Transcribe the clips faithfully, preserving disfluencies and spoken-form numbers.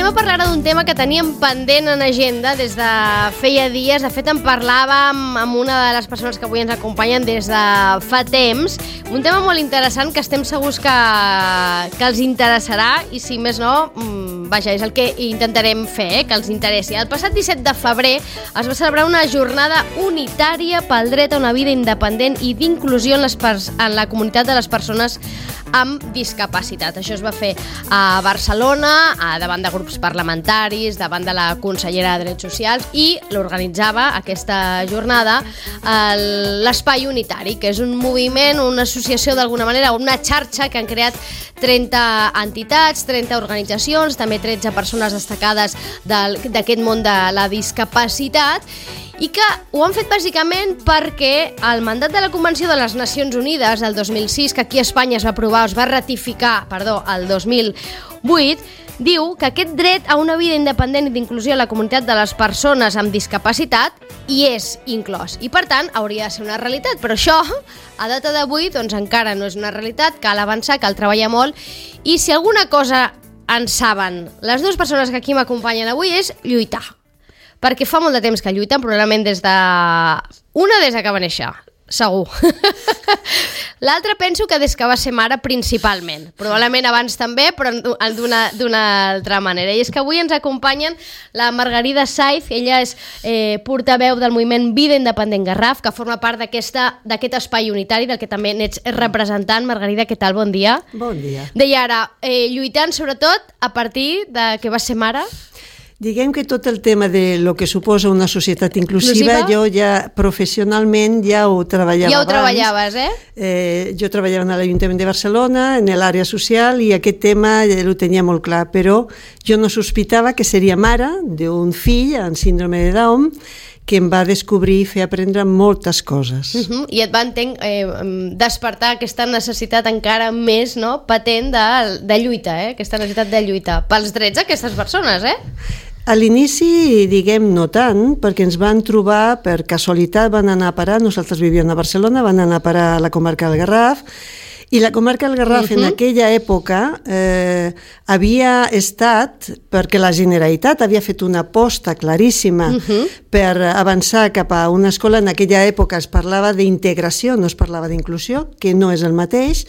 a parlar d'un tema que teníem pendent en agenda des de feia dies. De fet, en parlàvem amb una de les persones que avui ens acompanyen des de fa temps. Un tema molt interessant que estem segurs que, que els interessarà i, si més no, vaja, és el que intentarem fer, eh, que els interessi. El passat disset de febrer es va celebrar una jornada unitària pel dret a una vida independent i d'inclusió en, les pers- en la comunitat de les persones amb discapacitat. Això es va fer a Barcelona, a davant de grups parlamentaris, davant de la consellera de Drets Socials, i l'organitzava aquesta jornada l'Espai Unitari, que és un moviment, una associació d'alguna manera, una xarxa que han creat trenta entitats, trenta organitzacions, també tretze persones destacades del, d'aquest món de la discapacitat, i que ho han fet bàsicament perquè el mandat de la Convenció de les Nacions Unides del dos mil sis, que aquí a Espanya es va aprovar, es va ratificar, perdó, el dos mil vuit, diu que aquest dret a una vida independent i d'inclusió a la comunitat de les persones amb discapacitat hi és inclòs. I, per tant, hauria de ser una realitat. Però això, a data d'avui, doncs encara no és una realitat, cal avançar, cal treballar molt, i si alguna cosa en saben les dues persones que aquí m'acompanyen avui és lluitar. Perquè fa molt de temps que lluiten, probablement des de... Una des de que va néixer, segur. L'altra penso que des que va ser mare principalment. Probablement abans també, però d'una, d'una altra manera. I és que avui ens acompanyen la Margarida Saiz. Ella és eh, portaveu del moviment Vida Independent Garraf, que forma part d'aquesta, d'aquest espai unitari, del que també n'ets representant. Margarida, què tal? Bon dia. Bon dia. Deia ara, eh, lluitant sobretot a partir de que va ser mare. Diguem que tot el tema de lo que suposa una societat inclusiva, inclusiva? jo ja professionalment ja ho treballava ja ho abans. treballaves, eh? eh? Jo treballava a l'Ajuntament de Barcelona, en l'àrea social, i aquest tema ja ho tenia molt clar, però jo no sospitava que seria mare d'un fill amb síndrome de Down, que em va descobrir i fer aprendre moltes coses. Uh-huh. I et va entenc, eh, despertar aquesta necessitat encara més, no?, patent de, de lluita, eh? Aquesta necessitat de lluita pels drets d'aquestes persones, eh? A l'inici, diguem, no tant, perquè ens van trobar, per casualitat van anar a parar, nosaltres vivíem a Barcelona, van anar a parar a la comarca del Garraf, i la comarca del Garraf uh-huh. en aquella època eh, havia estat, perquè la Generalitat havia fet una aposta claríssima uh-huh. per avançar cap a una escola. En aquella època es parlava d'integració, no es parlava d'inclusió, que no és el mateix.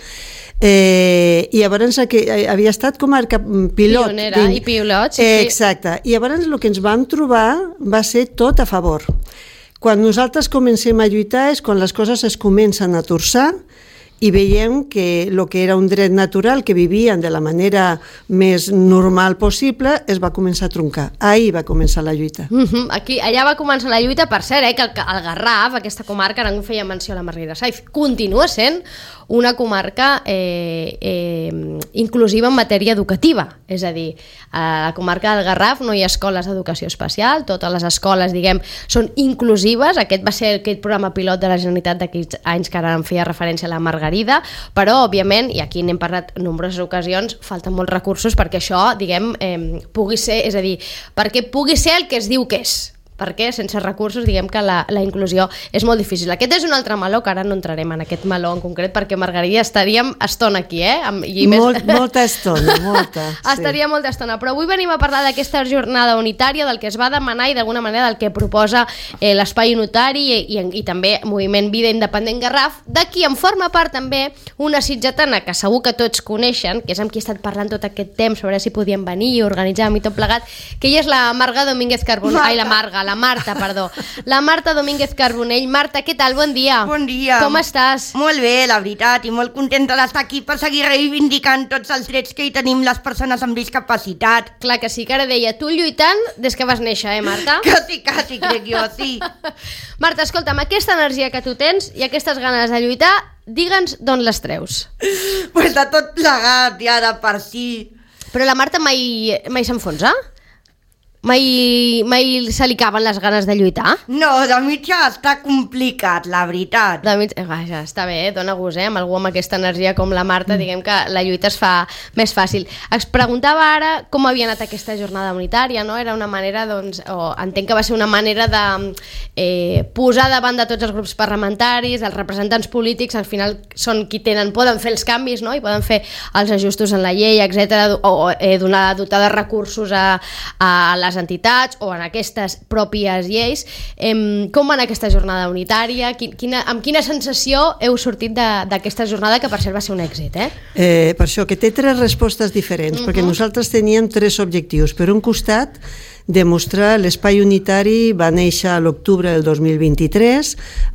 Eh, i llavors havia estat comarca pilot. Pionera i pilot, sí, eh, exacte. I llavors el que ens vam trobar va ser tot a favor. Quan nosaltres comencem a lluitar és quan les coses es comencen a torçar i veiem que el que era un dret natural, que vivien de la manera més normal possible, es va començar a troncar. Ahir va començar la lluita. Uh-huh. Aquí, allà va començar la lluita, per cert, eh, que el, el Garraf, aquesta comarca, ara en feia menció a la Margarida Saiz, continua sent una comarca eh, eh, inclusiva en matèria educativa. És a dir, a la comarca del Garraf no hi ha escoles d'educació especial, totes les escoles, diguem, són inclusives. Aquest va ser aquest programa pilot de la Generalitat d'aquests anys que ara en feia referència a la Margarida, però, òbviament, i aquí n'hem parlat en nombroses ocasions, falten molts recursos perquè això, diguem, eh, pugui ser, és a dir, perquè pugui ser el que es diu que és. Perquè sense recursos, diguem que la, la inclusió és molt difícil. Aquest és un altre meló, que ara no entrarem en aquest meló en concret, perquè, Margarida, estaríem estona aquí, eh? I més... Molt, molta estona, molta. Sí. Estaria molta estona, però avui venim a parlar d'aquesta jornada unitària, del que es va demanar i d'alguna manera del que proposa eh, l'Espai Unitari i, i, i també Moviment Vida Independent Garraf, d'aquí en forma part també una sitgetana que segur que tots coneixen, que és amb qui he estat parlant tot aquest temps sobre si podien venir i organitzar i tot plegat, que ella és la Marga Domínguez Carbonell, ai, la Marga, la Marta, perdó. La Marta Domínguez Carbonell. Marta, què tal? Bon dia. Bon dia. Com estàs? Molt bé, la veritat, i molt contenta d'estar aquí per seguir reivindicant tots els drets que hi tenim les persones amb discapacitat. Clar que sí, que ara deia, tu lluitant des que vas néixer, eh, Marta? Quasi, quasi, crec jo, sí. Marta, escolta'm, aquesta energia que tu tens i aquestes ganes de lluitar, digue'ns d'on les treus. Pues de tot plegat, ja de per si. Però la Marta mai, mai s'enfonsa? Mai, mai se li caben les ganes de lluitar? No, de mitja està complicat, la veritat. De mitja... Vaja, està bé, dona gust, eh? Amb algú amb aquesta energia com la Marta, mm. diguem que la lluita es fa més fàcil. Es preguntava ara com havia anat aquesta jornada unitària, no? Era una manera, doncs, o entenc que va ser una manera de eh, posar davant de tots els grups parlamentaris, els representants polítics, al final són qui tenen, poden fer els canvis, no? I poden fer els ajustos en la llei, etcètera, o eh, donar, dotar de recursos a, a les entitats o en aquestes pròpies lleis. Eh, com va anar aquesta jornada unitària? Quina, amb quina sensació heu sortit d'aquesta jornada, que per cert va ser un èxit, eh? eh per això, que té tres respostes diferents, uh-huh. perquè nosaltres teníem tres objectius. Per un costat, demostrar l'espai unitari va néixer a l'octubre del dos mil vint-i-tres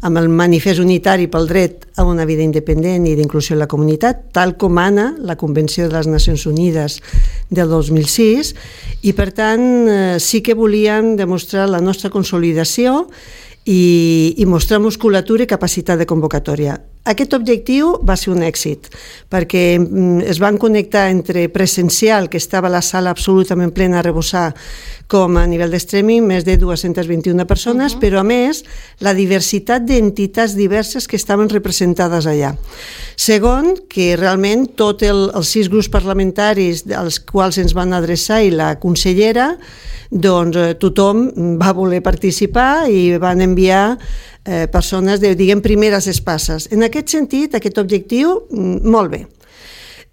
amb el manifest unitari pel dret a una vida independent i d'inclusió en la comunitat, tal com mana la Convenció de les Nacions Unides del dos mil sis, i per tant eh, sí que volíem demostrar la nostra consolidació i, i mostrar musculatura i capacitat de convocatòria. Aquest objectiu va ser un èxit, perquè es van connectar entre presencial, que estava a la sala absolutament plena a rebossar, com a nivell de streaming, més de dues-centes vint-i-una persones, uh-huh. però a més, la diversitat d'entitats diverses que estaven representades allà. Segon, que realment tots el, els sis grups parlamentaris als quals ens van adreçar i la consellera, doncs tothom va voler participar i van enviar eh, persones de, diguem, primeres espasses. En aquest sentit, aquest objectiu, molt bé.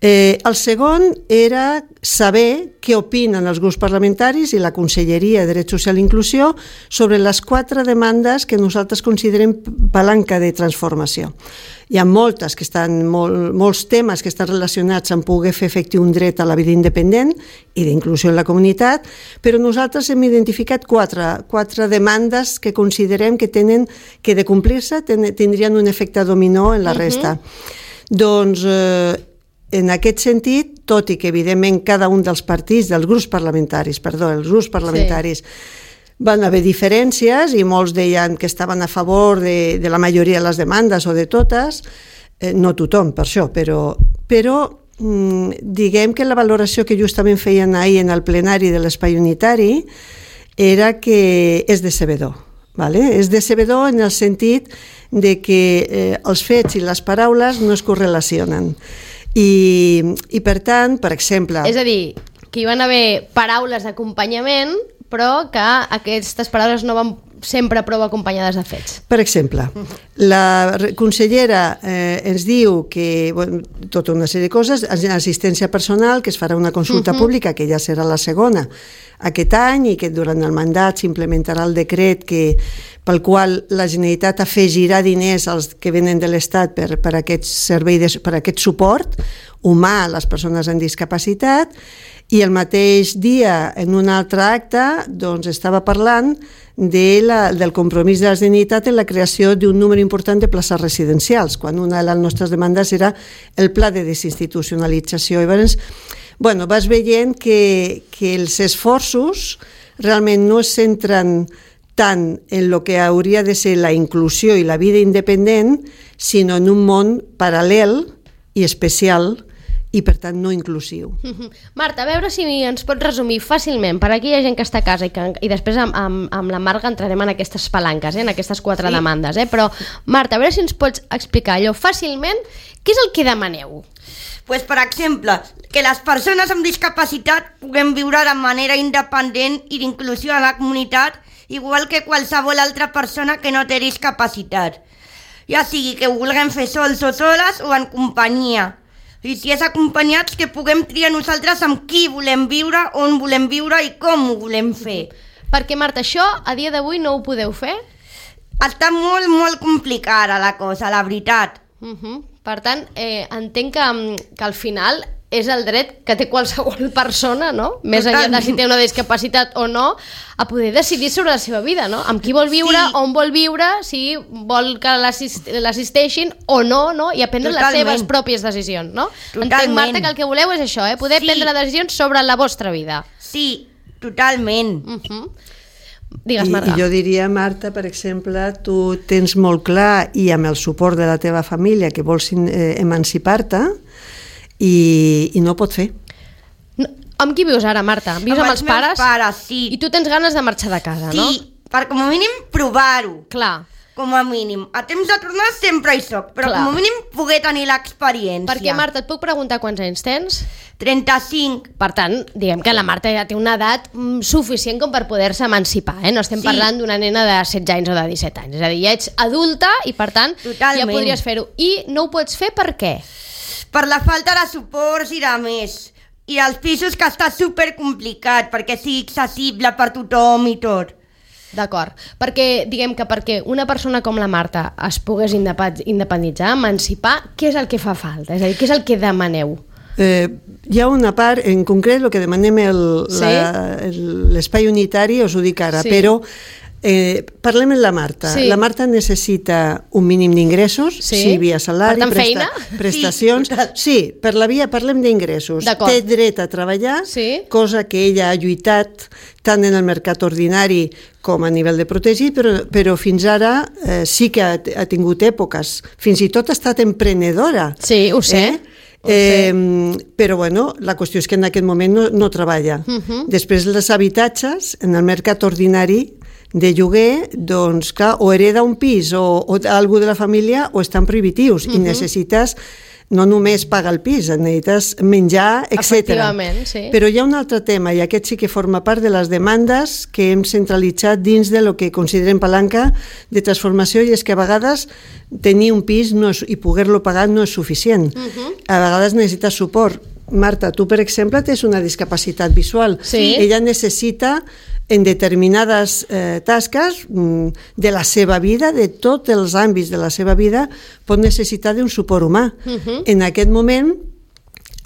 Eh, el segon era saber què opinen els grups parlamentaris i la Conselleria de Drets Social i Inclusió sobre les quatre demandes que nosaltres considerem palanca de transformació. Hi ha moltes que estan, molt, molts temes que estan relacionats amb poder fer efectiu un dret a la vida independent i d'inclusió en la comunitat, però nosaltres hem identificat quatre, quatre demandes que considerem que tenen que de complir-se ten, tindrien un efecte dominó en la resta. Uh-huh. Doncs eh, en aquest sentit, tot i que evidentment cada un dels partits, dels grups parlamentaris, perdó, els grups parlamentaris sí. van haver diferències i molts deien que estaven a favor de, de la majoria de les demandes o de totes, eh, no tothom per això, però, però mm, diguem que la valoració que justament feien ahir en el plenari de l'espai unitari era que és decebedor. Vale? És decebedor en el sentit de que eh, els fets i les paraules no es correlacionen. I, i per tant, per exemple... És a dir, que hi van haver paraules d'acompanyament, però que aquestes paraules no van sempre prou acompanyades de fets. Per exemple, la consellera eh, ens diu que, bueno, tota una sèrie de coses, assistència personal, que es farà una consulta uh-huh. pública, que ja serà la segona aquest any, i que durant el mandat s'implementarà el decret que, pel qual la Generalitat afegirà diners als que venen de l'Estat per, per, aquest servei de, per aquest suport humà a les persones amb discapacitat, i el mateix dia, en un altre acte, doncs estava parlant de la, del compromís de la Generalitat en la creació d'un número important de places residencials, quan una de les nostres demandes era el pla de desinstitucionalització. I llavors, bueno, vas veient que, que els esforços realment no es centren tant en el que hauria de ser la inclusió i la vida independent, sinó en un món paral·lel i especial i, per tant, no inclusiu. Marta, a veure si ens pots resumir fàcilment per a aquella gent que està a casa i, que, i després amb, amb, amb la Marga entrarem en aquestes palanques, eh, en aquestes quatre sí. demandes. Eh? Però, Marta, a veure si ens pots explicar allò fàcilment, què és el que demaneu? Pues, per exemple, que les persones amb discapacitat puguem viure de manera independent i d'inclusió a la comunitat, igual que qualsevol altra persona que no té discapacitat. Ja sigui que ho vulguem fer sols o soles o en companyia. I si és acompanyats, que puguem triar nosaltres amb qui volem viure, on volem viure i com ho volem fer. Perquè, Marta, això a dia d'avui no ho podeu fer? Està molt, molt complicada la cosa, la veritat. Uh-huh. Per tant, eh, entenc que, que al final és el dret que té qualsevol persona, no? Més enllà de si té una discapacitat o no, a poder decidir sobre la seva vida, no? Amb qui vol viure, sí. on vol viure, si vol que l'assist l'assisteixin o no, no? I a prendre Totalment. les seves pròpies decisions, no? Totalment. Entenc, Marta, que el que voleu és això, eh? Poder sí. prendre decisions sobre la vostra vida. Sí, totalment. Uh-huh. Digues, Marta. I, I jo diria, Marta, per exemple, tu tens molt clar, i amb el suport de la teva família, que vols eh, emancipar-te, i, i no pot fer. No, Amb qui vius ara, Marta? Vius amb, amb els, els pares? Amb els pares, sí. I tu tens ganes de marxar de casa, sí, no? Sí, per com a mínim provar-ho. Clar. Com a mínim. A temps de tornar sempre hi soc, però Clar. com a mínim poder tenir l'experiència. Perquè, Marta, et puc preguntar quants anys tens? trenta-cinc. Per tant, diguem que la Marta ja té una edat suficient com per poder-se emancipar, eh? No estem sí. parlant d'una nena de setze anys o de disset anys. És a dir, ja ets adulta i, per tant, Totalment. ja podries fer-ho. I no ho pots fer per què? Per la falta de suports i de més. I els pisos, que està supercomplicat perquè sigui accessible per tothom i tot. D'acord, perquè diguem que perquè una persona com la Marta es pogués independitzar, emancipar, què és el que fa falta? És a dir, què és el que demaneu? Eh, hi ha una part, en concret, el que demanem sí? l'espai unitari, us ho dic ara, sí. però eh, parlem amb la Marta. Sí. La Marta necessita un mínim d'ingressos, sí. sí, via salari, per tant, presta, prestacions. Sí, sí, per la via parlem d'ingressos. Té dret a treballar, sí. cosa que ella ha lluitat tant en el mercat ordinari com a nivell de protegir, però, però fins ara eh, sí que ha, ha tingut èpoques. Fins i tot ha estat emprenedora. Sí, ho sé. Eh? Eh, però bueno, la qüestió és que en aquest moment no, no treballa. Uh-huh. Després els habitatges en el mercat ordinari de lloguer, doncs clar, o hereda un pis o, o algú de la família o estan prohibitius uh-huh. i necessites no només pagar el pis, necessites menjar, etcètera. Efectivament, sí. Però hi ha un altre tema, i aquest sí que forma part de les demandes que hem centralitzat dins de lo que considerem palanca de transformació, i és que a vegades tenir un pis no és, i poder-lo pagar no és suficient. Uh-huh. A vegades necessites suport. Marta, tu, per exemple, tens una discapacitat visual. Sí. Ella necessita en determinades eh, tasques de la seva vida, de tots els àmbits de la seva vida, pot necessitar d'un suport humà. Uh-huh. En aquest moment,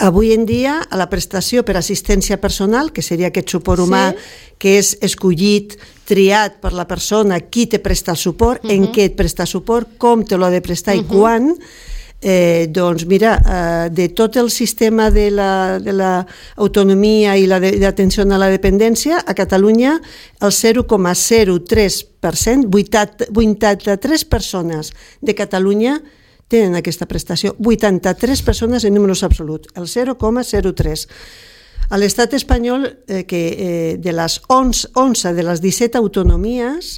avui en dia, a la prestació per assistència personal, que seria aquest suport humà sí. que és escollit, triat per la persona, qui te presta el suport, uh-huh. en què et presta suport, com te l'ha de prestar uh-huh. i quan, Eh, doncs mira, eh, de tot el sistema de la, de la autonomia i la de, d'atenció a la dependència, a Catalunya el zero coma zero tres per cent, vuitanta-tres persones de Catalunya tenen aquesta prestació, vuitanta-tres persones en números absoluts, el zero coma zero tres. A l'estat espanyol, eh, que eh, de les onze, onze de les disset autonomies,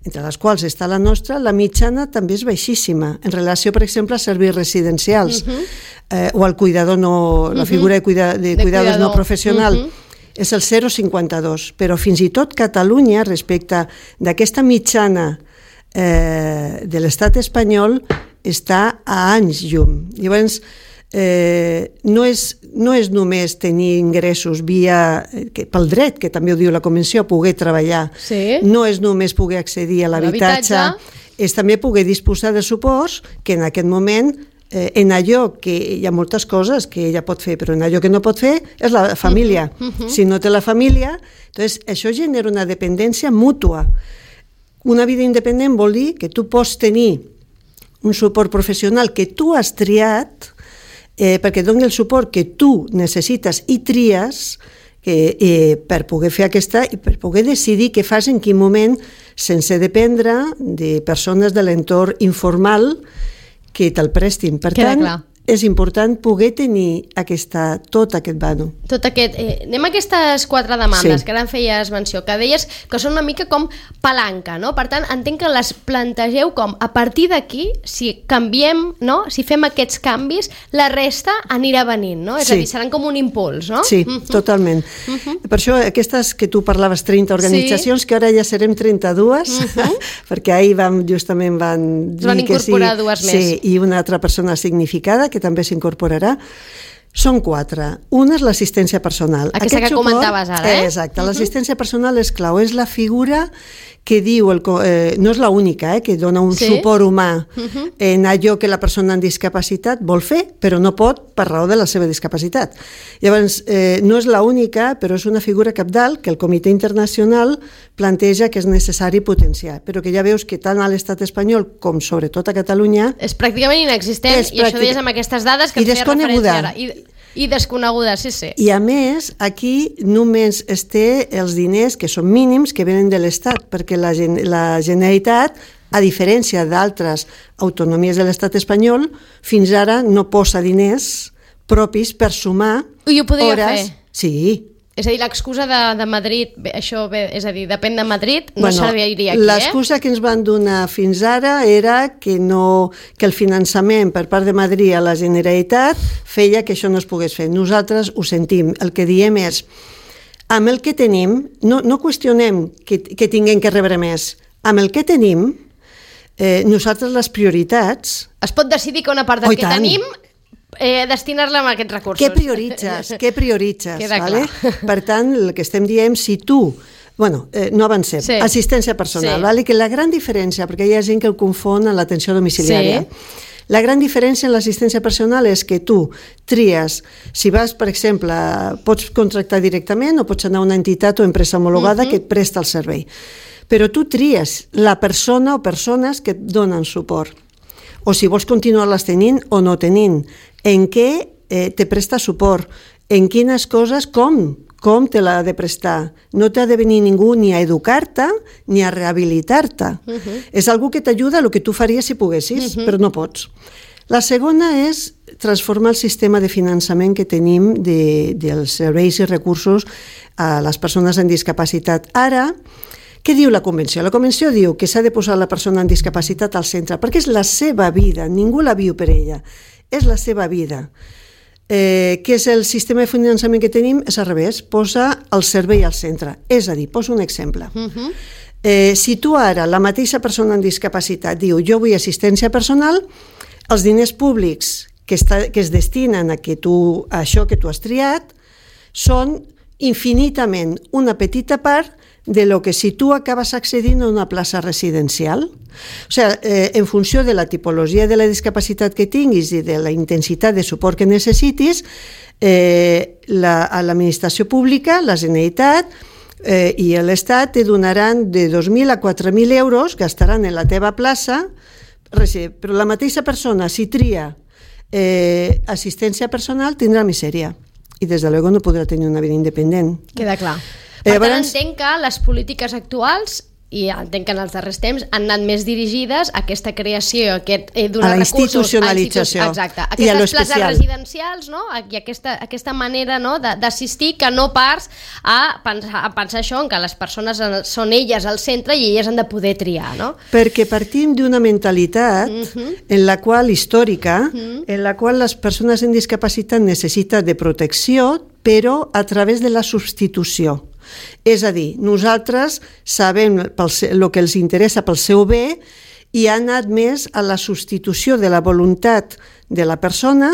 entre les quals està la nostra, la mitjana també és baixíssima, en relació, per exemple, a serveis residencials uh-huh. eh, o al cuidador no, la figura de, cuida, de, de cuidadors cuidador. no professional. Uh-huh. És el zero coma cinquanta dos, però fins i tot Catalunya, respecte d'aquesta mitjana eh, de l'estat espanyol, està a anys llum. Llavors, eh, no, és, no és només tenir ingressos via, que, pel dret, que també ho diu la Convenció, poder treballar, sí. no és només poder accedir a l'habitatge, l'habitatge, és també poder disposar de suports que en aquest moment, eh, en allò que hi ha moltes coses que ella pot fer, però en allò que no pot fer és la família. Uh-huh. Uh-huh. Si no té la família, doncs això genera una dependència mútua. Una vida independent vol dir que tu pots tenir un suport professional que tu has triat, Eh, perquè doni el suport que tu necessites i tries que, eh, per poder fer aquesta i per poder decidir què fas en quin moment, sense dependre de persones de l'entorn informal que te'l prestin. Per Queda tant, clar. és important poder tenir aquesta, tot aquest vano. Tot aquest... Eh, anem a aquestes quatre demandes sí. que ara en feies menció, que deies que són una mica com palanca, no? Per tant, entenc que les plantegeu com a partir d'aquí, si canviem, no? Si fem aquests canvis, la resta anirà venint, no? És sí. a dir, seran com un impuls, no? Sí, uh-huh. totalment. Uh-huh. Per això aquestes que tu parlaves, trenta organitzacions, sí. que ara ja serem trenta-dues, uh-huh. perquè ahir vam, justament van dir van que sí. Van incorporar dues més. Sí, i una altra persona significada, que que també s'incorporarà. Són quatre. Una és l'assistència personal. Aquesta Aquest que suport, comentaves ara, eh? Exacte. Uh-huh. L'assistència personal és clau. És la figura que diu, el, eh, no és l'única, eh, que dona un sí? suport humà uh-huh. en allò que la persona amb discapacitat vol fer, però no pot per raó de la seva discapacitat. Llavors, eh, no és l'única, però és una figura cabdal que el Comitè Internacional planteja que és necessari potenciar, però que ja veus que tant a l'estat espanyol com sobretot a Catalunya... És pràcticament inexistent, és pràctic... i això deies amb aquestes dades que et feia referència ara. I, I desconeguda, sí, sí. I a més, aquí només es té els diners, que són mínims, que venen de l'Estat, perquè la, la Generalitat, a diferència d'altres autonomies de l'Estat espanyol, fins ara no posa diners propis per sumar I ho podria hores. fer? Sí, És a dir, l'excusa de, de Madrid, bé, això bé, és a dir, depèn de Madrid, no bueno, serviria aquí, l'excusa eh? que ens van donar fins ara era que, no, que el finançament per part de Madrid a la Generalitat feia que això no es pogués fer. Nosaltres ho sentim. El que diem és, amb el que tenim, no, no qüestionem que, que tinguem que rebre més. Amb el que tenim, eh, nosaltres les prioritats... Es pot decidir que una part del Oh, que tant. tenim eh, destinar-la a aquests recursos. Què prioritzes? Què prioritzes? Queda vale? clar. Per tant, el que estem dient, si tu... Bueno, eh, no avancem. Sí. Assistència personal, Sí. vale? Que la gran diferència, perquè hi ha gent que el confon amb l'atenció domiciliària, Sí. la gran diferència en l'assistència personal és que tu tries, si vas, per exemple, pots contractar directament o pots anar a una entitat o empresa homologada uh-huh. que et presta el servei. Però tu tries la persona o persones que et donen suport. O si vols continuar-les tenint o no tenint. En què eh, te presta suport? En quines coses, com? Com te l'ha de prestar? No t'ha de venir ningú ni a educar-te ni a rehabilitar-te. Uh-huh. És algú que t'ajuda a el que tu faries si poguessis, uh-huh. però no pots. La segona és transformar el sistema de finançament que tenim de, dels serveis i recursos a les persones amb discapacitat. Ara, què diu la Convenció? La Convenció diu que s'ha de posar la persona amb discapacitat al centre, perquè és la seva vida, ningú la viu per ella, és la seva vida. Eh, què és el sistema de finançament que tenim? És al revés, posa el servei al centre. És a dir, poso un exemple. Uh-huh. Eh, si tu ara, la mateixa persona amb discapacitat, diu jo vull assistència personal, els diners públics que, està, que es destinen a, que tu, a això que tu has triat són infinitament una petita part de lo que si tu acabes accedint a una plaça residencial. O sigui, eh, en funció de la tipologia de la discapacitat que tinguis i de la intensitat de suport que necessitis, eh, la, a l'administració pública, la Generalitat eh, i l'Estat te donaran de dos mil a quatre mil euros, gastaran en la teva plaça, però la mateixa persona, si tria eh, assistència personal, tindrà misèria. I, des de luego, no podrà tenir una vida independent. Queda clar. Per Eh, tant, abans- entenc que les polítiques actuals, i entenc que en els darrers temps, han anat més dirigides a aquesta creació, a aquest, eh, donar A la recursos... institucionalització. A institu- Exacte. I a lo Aquestes places especial. residencials, no? I aquesta, aquesta manera, no?, de- d'assistir, que no pas a pensar, a pensar això, en que les persones en- són elles al centre i elles han de poder triar, no? Perquè partim d'una mentalitat Mhm. en la qual, històrica, en la qual les persones amb discapacitat necessiten de protecció, però a través de la substitució. És a dir, nosaltres sabem el que els interessa pel seu bé i ha anat més a la substitució de la voluntat de la persona,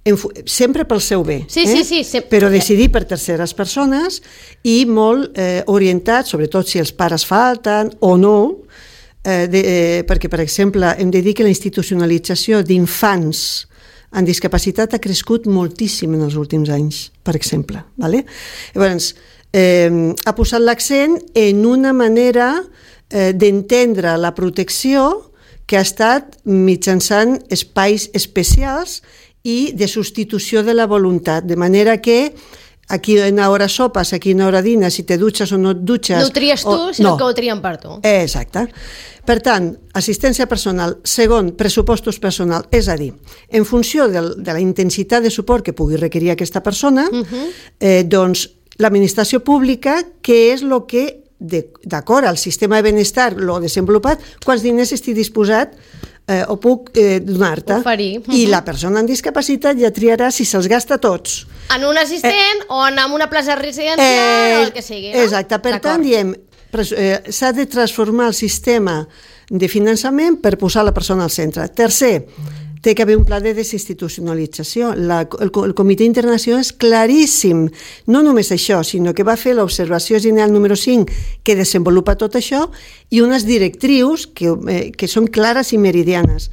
en, sempre pel seu bé, Sí, eh? sí, sí, sí. però decidir per terceres persones i molt eh, orientat, sobretot si els pares falten o no, eh, de, eh, perquè, per exemple, hem de dir que la institucionalització d'infants amb discapacitat ha crescut moltíssim en els últims anys, per exemple. Vale? Llavors, eh, ha posat l'accent en una manera eh, d'entendre la protecció que ha estat mitjançant espais especials i de substitució de la voluntat, de manera que a quina hora sopes, a quina hora dines, si te dutxes o no et dutxes... No ho tries tu, o... sinó no. que ho trien per tu. Exacte. Per tant, assistència personal. Segon, pressupostos personal. És a dir, en funció del, de la intensitat de suport que pugui requerir aquesta persona, uh-huh. eh, doncs l'administració pública, què és el que, d'acord al sistema de benestar, l'ho desenvolupat, quants diners estic disposat eh, o puc eh, donar-te. Oferir. Uh-huh. I la persona amb discapacitat ja triarà si se'ls gasta tots. En un assistent eh, o en una plaça residencial Eh, o el que sigui, no? Exacte, per tant, diem, eh, s'ha de transformar el sistema de finançament per posar la persona al centre. Tercer, té que haver un pla de desinstitucionalització. La, el, el Comitè Internacional és claríssim. No només això, sinó que va fer l'observació general número cinc, que desenvolupa tot això, i unes directrius que, eh, que són clares i meridianes.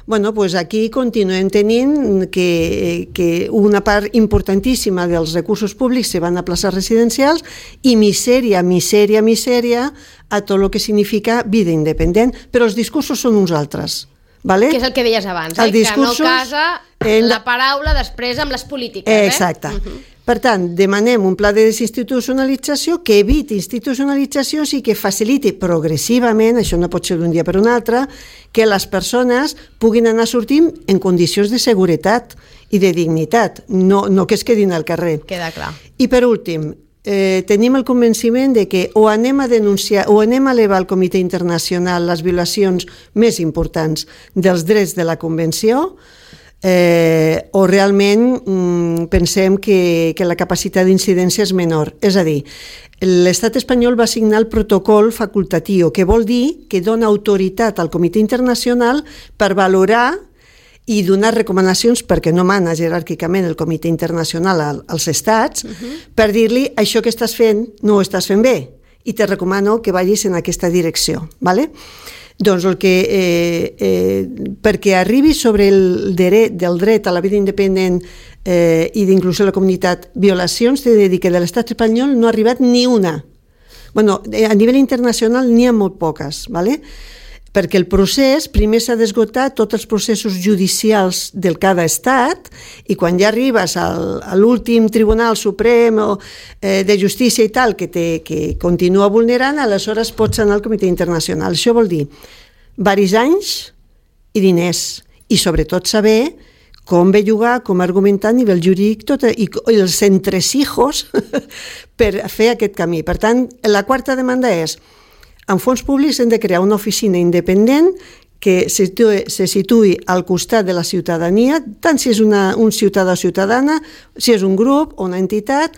Bueno, pues aquí continuem tenint que, que una part importantíssima dels recursos públics se van a places residencials i misèria, misèria, misèria a tot el que significa vida independent, però els discursos són uns altres. Vale? Que és el que deies abans, El eh? discursos, que no casa en- la paraula després amb les polítiques. Exacte. Eh? Uh-huh. Per tant, demanem un pla de desinstitucionalització que eviti institucionalitzacions i que faciliti progressivament, això no pot ser d'un dia per un altre, que les persones puguin anar sortint en condicions de seguretat i de dignitat, no, no que es quedin al carrer. Queda clar. I per últim, eh, tenim el convenciment de que o anem a denunciar o anem a elevar al Comitè Internacional les violacions més importants dels drets de la Convenció, eh, o realment mm, pensem que, que la capacitat d'incidència és menor. És a dir, l'Estat espanyol va signar el protocol facultatiu, que vol dir que dona autoritat al Comitè Internacional per valorar i donar recomanacions, perquè no mana jeràrquicament el Comitè Internacional als estats, uh-huh. per dir-li això que estàs fent no ho estàs fent bé i te recomano que vagis en aquesta direcció. ¿Vale? Doncs el que, eh, eh, perquè arribi sobre el dret, del dret a la vida independent eh, i d'inclusió de la comunitat violacions, t'he de dir que de l'estat espanyol no ha arribat ni una. Bueno, a nivell internacional n'hi ha molt poques, ¿vale? Perquè el procés primer s'ha d'esgotar tots els processos judicials del cada estat i quan ja arribes al, a l'últim Tribunal Suprem o, eh, de Justícia i tal, que, te, que continua vulnerant, aleshores pots anar al Comitè Internacional. Això vol dir varis anys i diners i sobretot saber com bellugar, com argumentar a nivell jurídic tot, i, i els entresijos per fer aquest camí. Per tant, la quarta demanda és: amb fons públics hem de crear una oficina independent que se situï, se situï al costat de la ciutadania, tant si és una, un ciutadà o ciutadana, si és un grup o una entitat,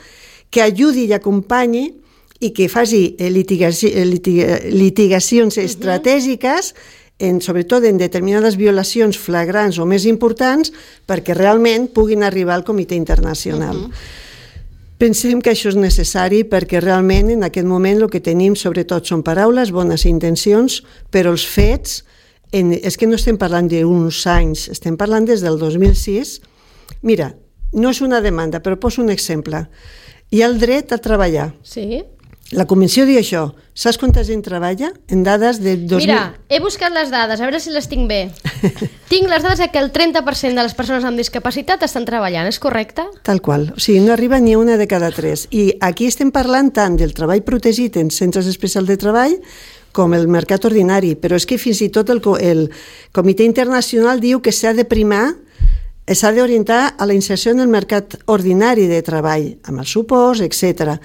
que ajudi i acompanyi i que faci litigaci, litiga, litigacions uh-huh. estratègiques, en, sobretot en determinades violacions flagrants o més importants, perquè realment puguin arribar al Comitè Internacional. Uh-huh. Pensem que això és necessari perquè realment en aquest moment el que tenim sobretot són paraules, bones intencions, però els fets, en, és que no estem parlant d'uns anys, estem parlant des del dos mil sis. Mira, no és una demanda, però poso un exemple. Hi ha el dret a treballar. Sí. La Convenció diu això. Saps quanta gent treballa? En dades de dos mil... Mira, he buscat les dades, a veure si les tinc bé. Tinc les dades que el trenta per cent de les persones amb discapacitat estan treballant, és correcte? Tal qual. O sigui, no arriba ni una de cada tres. I aquí estem parlant tant del treball protegit en centres especials de treball com el mercat ordinari. Però és que fins i tot el, el Comitè Internacional diu que s'ha de primar, s'ha d'orientar a la inserció en el mercat ordinari de treball, amb els suports, etcètera.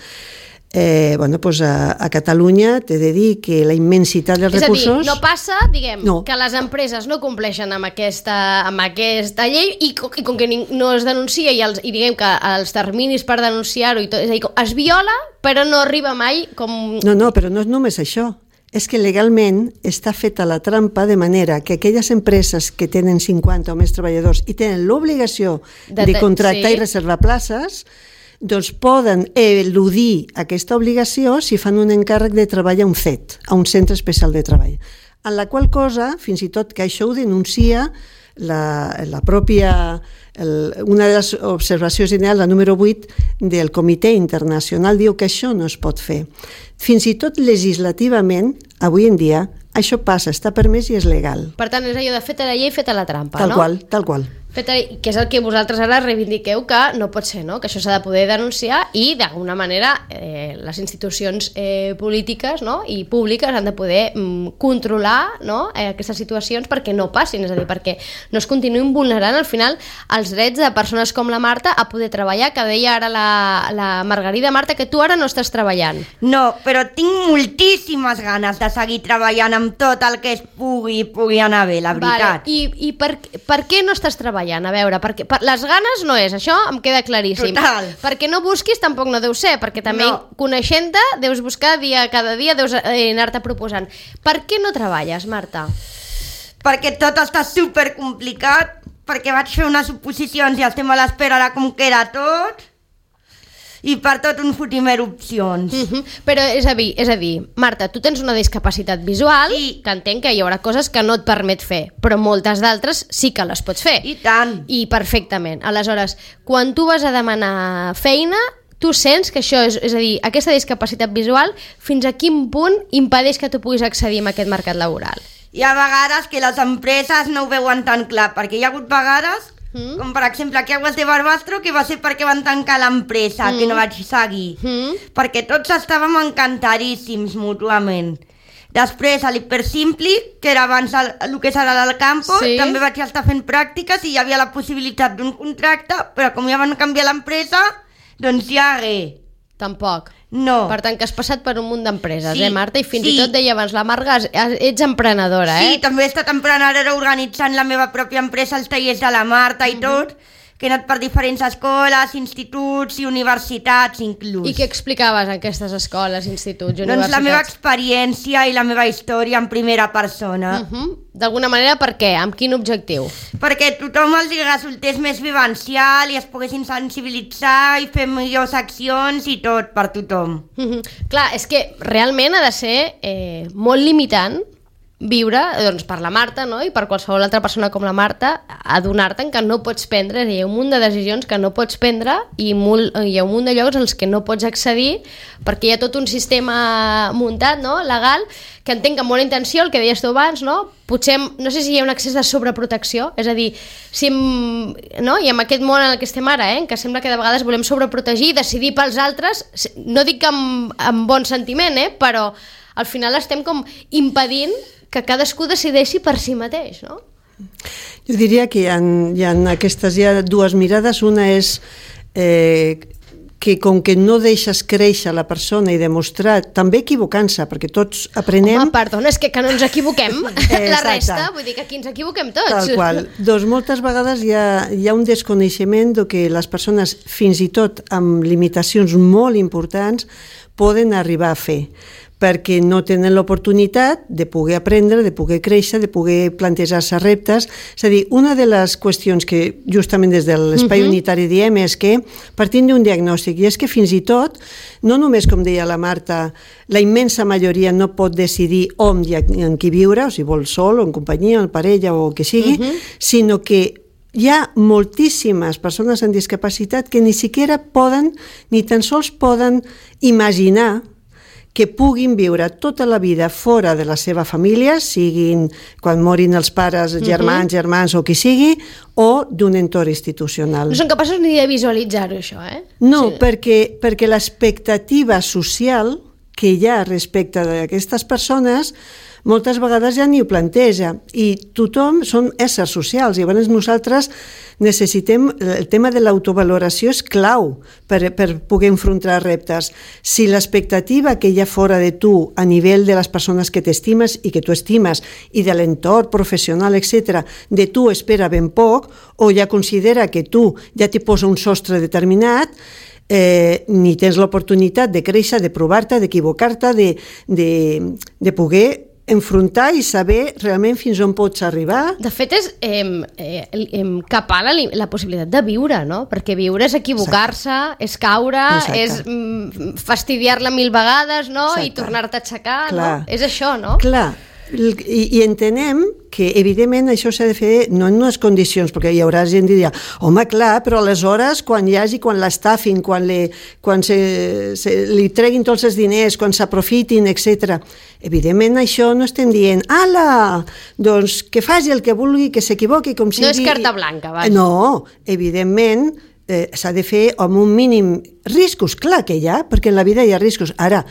Eh, bueno, doncs a, a Catalunya t'he de dir que la immensitat dels és recursos... És a dir, no passa, diguem, no. que les empreses no compleixen amb aquesta, amb aquesta llei i, i com que no es denuncia i, els, i diguem que els terminis per denunciar-ho i tot, és a dir, es viola però no arriba mai com... No, no, però no és només això. És que legalment està feta la trampa de manera que aquelles empreses que tenen cinquanta o més treballadors i tenen l'obligació de, de contractar sí. i reservar places, doncs poden eludir aquesta obligació si fan un encàrrec de treball a un C E T, a un centre especial de treball. En la qual cosa, fins i tot que això ho denuncia la, la pròpia, el, una de les observacions generals, la número vuit, del Comitè Internacional, diu que això no es pot fer. Fins i tot legislativament, avui en dia, això passa, està permès i és legal. Per tant, és allò de feta la llei, feta la trampa, tal no? Tal qual, tal qual. Feta, que és el que vosaltres ara reivindiqueu que no pot ser, no? Que això s'ha de poder denunciar i d'alguna manera eh, les institucions eh, polítiques, no? I públiques han de poder mm, controlar, no? eh, aquestes situacions perquè no passin, és a dir, perquè no es continuïn vulnerant al final els drets de persones com la Marta a poder treballar, que deia ara la, la Margarida. Marta, que tu ara no estàs treballant. No, però tinc moltíssimes ganes de seguir treballant amb tot el que es pugui, pugui anar bé, la veritat. Vale. I, i per, per què no estàs treballant? A veure, perquè per, les ganes no és, això em queda claríssim. Total. Perquè no busquis tampoc no deu ser, perquè també no. Coneixent-te deus buscar dia cada dia, deus eh, anar-te proposant. Per què no treballes, Marta? Perquè tot està super complicat, perquè vaig fer unes oposicions i estem a l'espera de com queda tot, i per tot un fotimer opcions. Uh-huh. Però és a dir, és a dir, Marta, tu tens una discapacitat visual, sí. Que entenc que hi haurà coses que no et permet fer, però moltes d'altres sí que les pots fer. I tant. I perfectament. Aleshores, quan tu vas a demanar feina, tu sents que això és, és a dir, aquesta discapacitat visual, fins a quin punt impedeix que tu puguis accedir a aquest mercat laboral? Hi ha vegades que les empreses no ho veuen tan clar, perquè hi ha hagut vegades Mm. com per exemple aquí a Aguas de Barbastro, que va ser perquè van tancar l'empresa, mm. que no vaig seguir, mm. perquè tots estàvem encantadíssims mútuament. Després a l'Hipersimpli, que era abans el, el que serà del Campo, sí. També vaig estar fent pràctiques i hi havia la possibilitat d'un contracte, però com ja van canviar l'empresa, doncs ja hagué. Tampoc. No. Per tant, que has passat per un munt d'empreses, Sí, eh, Marta? I fins sí. i tot deia abans, la Marga, ets emprenedora, eh? Sí, també he estat emprenedora organitzant la meva pròpia empresa, els tallers de la Marta i tot, que he anat per diferents escoles, instituts i universitats inclús. I què explicaves en aquestes escoles, instituts i Doncs universitats? la meva experiència i la meva història en primera persona. Uh -huh. D'alguna manera, per què? Amb quin objectiu? Perquè tothom els resultés més vivencial i es poguessin sensibilitzar i fer millors accions i tot per tothom. Uh -huh. Clar, és que realment ha de ser eh, molt limitant viure, doncs, per la Marta, no? I per qualsevol altra persona com la Marta, adonar-te'n que no pots prendre, hi ha un munt de decisions que no pots prendre i molt, hi ha un munt de llocs als que no pots accedir perquè hi ha tot un sistema muntat, no?, legal, que entenc que amb bona intenció, el que deies tu abans, no? Potser, no sé si hi ha un excés de sobreprotecció, és a dir, si em, no? I amb aquest món en el que estem ara, eh? En què sembla que de vegades volem sobreprotegir i decidir pels altres, no dic que amb, amb bon sentiment, eh? Però al final estem com impedint que cadascú decideixi per si mateix, no? Jo diria que hi ha, hi ha aquestes hi ha dues mirades. Una és eh, que com que no deixes créixer la persona i demostrar, també equivocant-se, perquè tots aprenem... Home, perdona, és que, que no ens equivoquem, la Exacte. resta, vull dir que aquí ens equivoquem tots. Tal qual. Doncs moltes vegades hi ha, hi ha un desconeixement de que les persones, fins i tot amb limitacions molt importants, poden arribar a fer, perquè no tenen l'oportunitat de poder aprendre, de poder créixer, de poder plantejar-se reptes. És a dir, una de les qüestions que justament des de l'espai uh-huh. unitari diem és que, partint d'un diagnòstic, i és que fins i tot, no només, com deia la Marta, la immensa majoria no pot decidir on i en qui viure, o si vol sol, o en companyia, o en parella, o el que sigui, uh-huh. sinó que hi ha moltíssimes persones amb discapacitat que ni siquiera poden, ni tan sols poden imaginar que puguin viure tota la vida fora de la seva família, siguin quan morin els pares, germans, uh-huh. germans o qui sigui, o d'un entorn institucional. No són capaços ni de visualitzar-ho, això, eh? No, sí. perquè, perquè l'expectativa social que hi ha respecte d'aquestes persones moltes vegades ja ni ho planteja, i tothom són éssers socials, i llavors nosaltres necessitem, el tema de l'autovaloració és clau per, per poder enfrontar reptes. Si l'expectativa que hi ha fora de tu a nivell de les persones que t'estimes i que tu estimes i de l'entorn professional, etcètera, de tu espera ben poc, o ja considera que tu ja t'hi posa un sostre determinat, eh, ni tens l'oportunitat de créixer, de provar-te, d'equivocar-te, de, de, de poder enfrontar i saber realment fins on pots arribar. De fet, és eh, eh, capar la, la possibilitat de viure, no? Perquè viure és equivocar-se, és caure, Exacte. és mm, fastidiar-la mil vegades, no? Exacte. I tornar-te a aixecar, no? És això, no? Clar, i, i entenem que evidentment això s'ha de fer no en unes condicions, perquè hi haurà gent que dirà, home, clar, però aleshores quan hi hagi, quan l'estafin, quan, le, quan se, se, li treguin tots els diners, quan s'aprofitin, etcètera. Evidentment això no estem dient, ala, doncs que faci el que vulgui, que s'equivoqui com sigui. No és carta blanca, vaja. No, evidentment eh, s'ha de fer amb un mínim riscos, clar que hi ha, perquè en la vida hi ha riscos. Ara,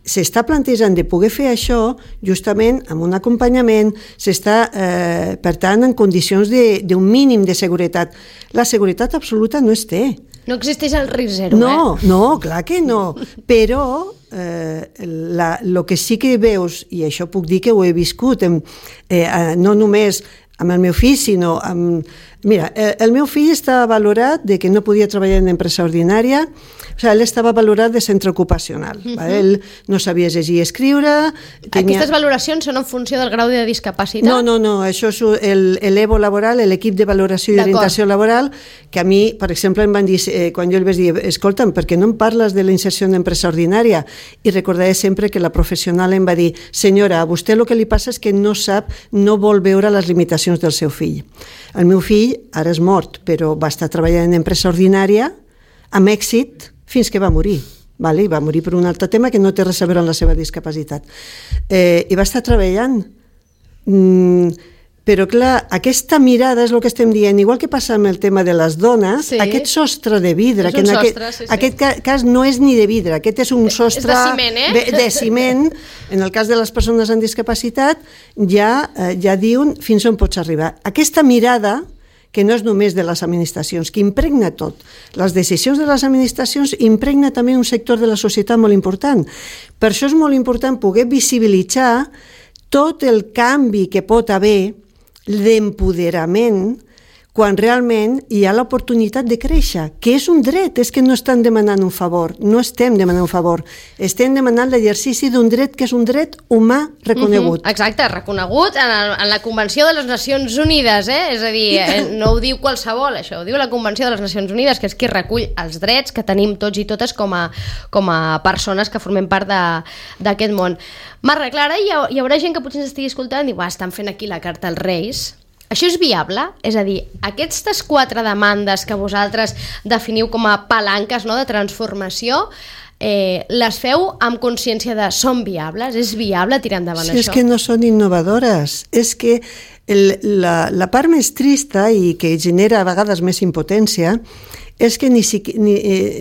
s'està plantejant de poder fer això justament amb un acompanyament, s'està, eh, per tant, en condicions d'un mínim de seguretat. La seguretat absoluta no es té. No existeix el risc zero, no, eh? No, clar que no, però eh, la, lo que sí que veus, i això puc dir que ho he viscut, en, eh, no només amb el meu fill, sinó amb... Mira, el meu fill està valorat de que no podia treballar en empresa ordinària, o sigui, ell estava valorat de centre ocupacional. Uh-huh. Va? Ell no sabia llegir i escriure... Tenia... Aquestes valoracions són en funció del grau de discapacitat? No, no, no, això és l'E V O laboral, l'equip de valoració i orientació laboral, que a mi, per exemple, em van dir, eh, quan jo els vaig dir, escolta'm, per què no em parles de la inserció en empresa ordinària? I recordaré sempre que la professional em va dir, senyora, a vostè el que li passa és que no sap, no vol veure les limitacions del seu fill. El meu fill ara és mort, però va estar treballant en empresa ordinària amb èxit fins que va morir. Vale? Va morir per un altre tema que no té res a veure amb la seva discapacitat. Eh, I va estar treballant. Mm, però clar, aquesta mirada és el que estem dient, igual que passa amb el tema de les dones, sí. Aquest sostre de vidre, és que en sostre, aquest, sí, sí. aquest cas no és ni de vidre, aquest és un sostre de ciment, eh? de, de ciment. En el cas de les persones amb discapacitat ja, eh, ja diuen fins on pots arribar. Aquesta mirada que no és només de les administracions, que impregna tot. Les decisions de les administracions impregna també un sector de la societat molt important. Per això és molt important poder visibilitzar tot el canvi que pot haver d'empoderament quan realment hi ha l'oportunitat de créixer, que és un dret, és que no estan demanant un favor, no estem demanant un favor, estem demanant l'exercici d'un dret que és un dret humà reconegut. Mm-hmm, exacte, reconegut en, el, en la Convenció de les Nacions Unides, eh? És a dir, eh, no ho diu qualsevol, això ho diu la Convenció de les Nacions Unides, que és qui recull els drets que tenim tots i totes com a, com a persones que formem part d'aquest món. Marra, Clara, hi, ha, hi haurà gent que potser ens estigui escoltant i diu, estan fent aquí la carta als Reis. Això és viable? És a dir, aquestes quatre demandes que vosaltres definiu com a palanques, no?, de transformació, eh, les feu amb consciència de són viables? És viable tirar endavant sí, això? És que no són innovadores. És que el, la, la part més trista i que genera a vegades més impotència és que ni, ni,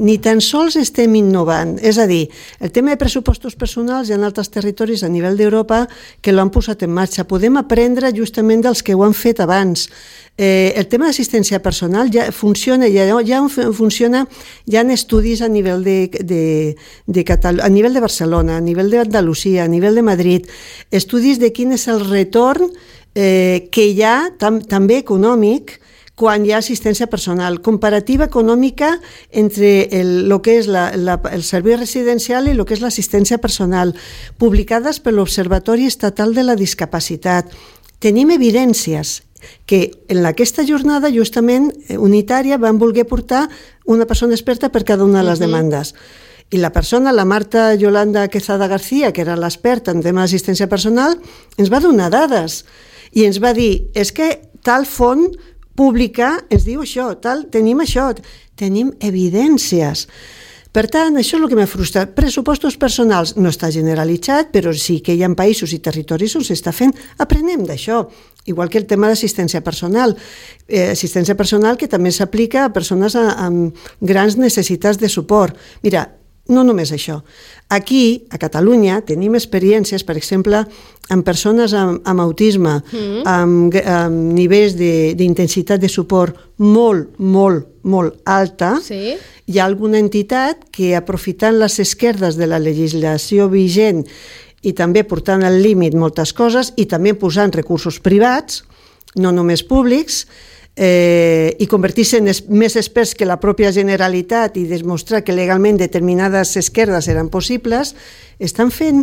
ni tan sols estem innovant. És a dir, el tema de pressupostos personals hi ha altres territoris a nivell d'Europa que l'han posat en marxa. Podem aprendre justament dels que ho han fet abans. Eh, el tema d'assistència personal ja funciona, ja, ja funciona, hi ha estudis a nivell de, de, de Catalunya, a nivell de Barcelona, a nivell d'Andalusia, a nivell de Madrid, estudis de quin és el retorn eh, que hi ha, tam, també econòmic, quan hi ha assistència personal, comparativa econòmica entre el, lo que és la, la, el servei residencial i el que és l'assistència personal, publicades per l'Observatori Estatal de la Discapacitat. Tenim evidències que en aquesta jornada justament unitària van voler portar una persona experta per cada una de les demandes. I la persona, la Marta Yolanda Quezada García, que era l'experta en tema d'assistència personal, ens va donar dades i ens va dir, és que tal font pública ens diu això, tal, tenim això, tenim evidències. Per tant, això és el que m'ha frustrat. Pressupostos personals no està generalitzat, però sí que hi ha països i territoris on s'està fent. Aprenem d'això. Igual que el tema d'assistència personal. Eh, assistència personal que també s'aplica a persones amb grans necessitats de suport. Mira, no només això. Aquí, a Catalunya, tenim experiències, per exemple, amb persones amb, amb autisme, mm. amb, amb nivells d'intensitat de, de suport molt, molt, molt alta. Sí. Hi ha alguna entitat que, aprofitant les esquerdes de la legislació vigent i també portant al límit moltes coses i també posant recursos privats, no només públics, Eh, i convertir-se en es, més experts que la pròpia Generalitat i demostrar que legalment determinades esquerdes eren possibles, estan fent,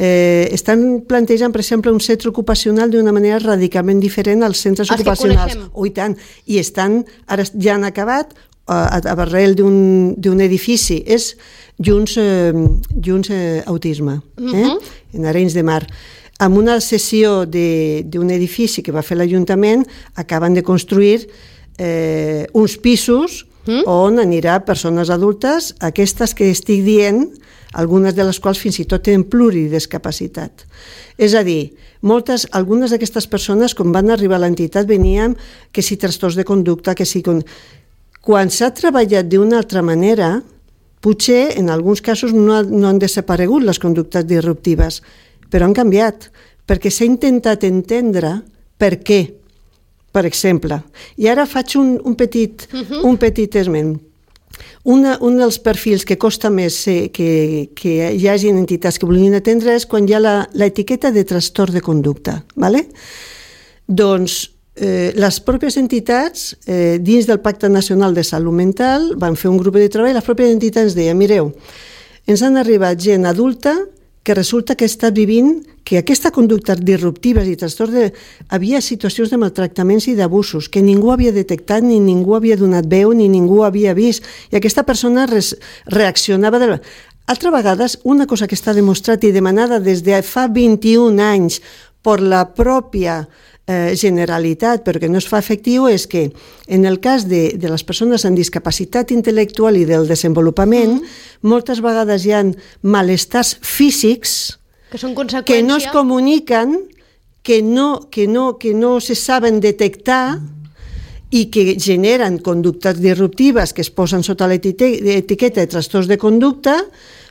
eh, estan plantejant, per exemple, un centre ocupacional d'una manera radicalment diferent als centres Els ocupacionals. Oh, i tant. I estan, ara ja han acabat a, a arrel d'un edifici. És Junts, eh, Junts eh, Autisme, eh? Uh-huh. En Arenys de Mar. Amb una cessió d'un edifici que va fer l'Ajuntament, acaben de construir eh, uns pisos mm? on anirà persones adultes, aquestes que estic dient, algunes de les quals fins i tot tenen pluridiscapacitat. És a dir, moltes, algunes d'aquestes persones, quan van arribar a l'entitat, venien que si trastorns de conducta, que si... Quan s'ha treballat d'una altra manera, potser en alguns casos no, ha, no han desaparegut les conductes disruptives, però han canviat, perquè s'ha intentat entendre per què, per exemple. I ara faig un, un, petit, uh-huh. un petit esment. Una, un dels perfils que costa més eh, que, que hi hagi entitats que vulguin atendre és quan hi ha l'etiqueta de trastorn de conducta. ¿Vale? Doncs eh, les pròpies entitats, eh, dins del Pacte Nacional de Salut Mental, van fer un grup de treball i les pròpies entitats ens deien, mireu, ens han arribat gent adulta que resulta que està vivint que aquesta conducta disruptiva i trastorn de... havia situacions de maltractaments i d'abusos que ningú havia detectat, ni ningú havia donat veu, ni ningú havia vist, i aquesta persona res... reaccionava... De... Altra vegades, una cosa que està demostrat i demanada des de fa vint-i-un anys per la pròpia eh, Generalitat, però que no es fa efectiu, és que en el cas de, de les persones amb discapacitat intel·lectual i del desenvolupament, mm. moltes vegades hi ha malestars físics que, són conseqüència... que no es comuniquen, que no, que no, que no se saben detectar i que generen conductes disruptives que es posen sota l'etiqueta de trastorns de conducta,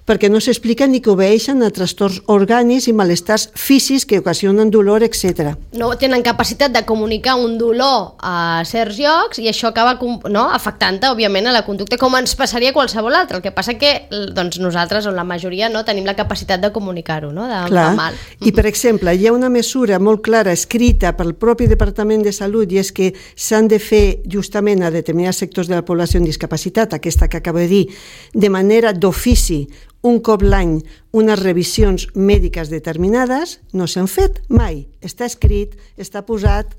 perquè no s'explica ni que obeeixen a trastorns orgànics i malestars físics que ocasionen dolor, etcètera. No tenen capacitat de comunicar un dolor a certs llocs i això acaba no, afectant-te, òbviament, a la conducta, com ens passaria a qualsevol altre. El que passa que doncs, nosaltres, o la majoria, no tenim la capacitat de comunicar-ho, no? de, Clar. de mal. I, per exemple, hi ha una mesura molt clara escrita pel propi Departament de Salut i és que s'han de fer justament a determinats sectors de la població amb discapacitat, aquesta que acabo de dir, de manera d'ofici, un cop l'any, unes revisions mèdiques determinades, no s'han fet mai. Està escrit, està posat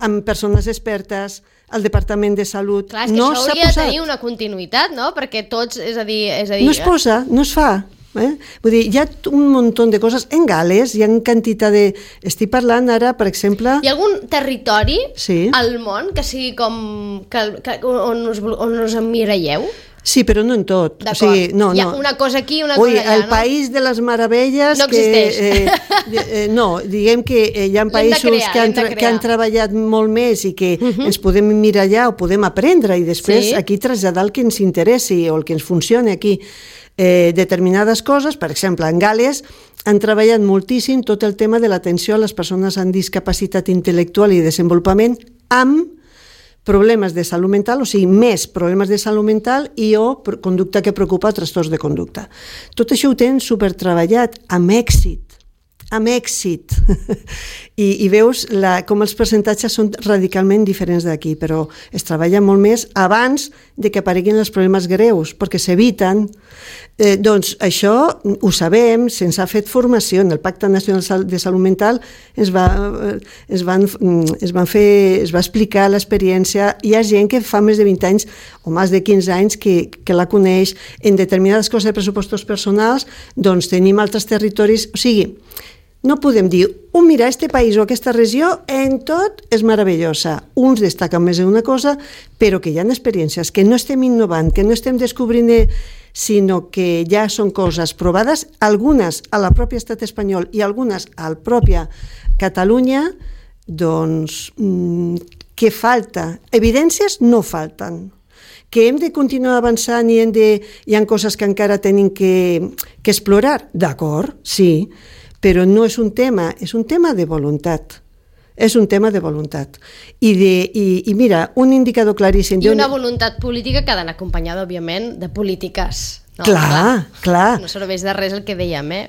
amb persones expertes, al Departament de Salut. Clar, és que no això hauria de tenir una continuïtat, no? Perquè tots, és a dir... És a dir no es posa, no es fa. Eh? Vull dir, hi ha un munt de coses. En Gal·les hi ha quantitat de... Estic parlant ara, per exemple... Hi ha algun territori sí. al món que sigui com... Que, que, on, us, on us emmiralleu? Sí, però no en tot. O sigui, no, hi ha no. una cosa aquí, una Ui, cosa allà, el no? país de les meravelles... No existeix. Que, eh, eh, no, diguem que eh, hi ha països crear, que, han tra que han treballat molt més i que uh -huh. ens podem mirallar o podem aprendre i després sí. aquí traslladar el que ens interessi o el que ens funcioni aquí. Eh, determinades coses, per exemple, en Gal·les han treballat moltíssim tot el tema de l'atenció a les persones amb discapacitat intel·lectual i desenvolupament amb problemes de salut mental, o sigui, més problemes de salut mental i o conducta que preocupa, trastorns de conducta. Tot això ho tenen supertreballat, amb èxit, amb èxit. I, i veus la, com els percentatges són radicalment diferents d'aquí, però es treballa molt més abans de que apareguin els problemes greus, perquè s'eviten. Eh, doncs això ho sabem, se'ns ha fet formació. En el Pacte Nacional de Salut Mental es va, es van, es van fer, es va explicar l'experiència. Hi ha gent que fa més de vint anys o més de quinze anys que, que la coneix. En determinades coses de pressupostos personals, doncs tenim altres territoris. O sigui, no podem dir, oh, mira, este país o aquesta regió en tot és meravellosa. Uns destaquen més d'una cosa, però que hi ha experiències, que no estem innovant, que no estem descobrint, sinó que ja són coses provades, algunes a la pròpia estat espanyol i algunes a la pròpia Catalunya, doncs, què falta? Evidències no falten. Que hem de continuar avançant i hem de, hi ha coses que encara tenim que, que explorar, d'acord, sí, però no és un tema, és un tema de voluntat. És un tema de voluntat. I, de, i, i mira, un indicador claríssim... I una voluntat política que ha d'anar acompanyada, òbviament, de polítiques. No, clar, clar, clar. No serveix de res el que dèiem, eh?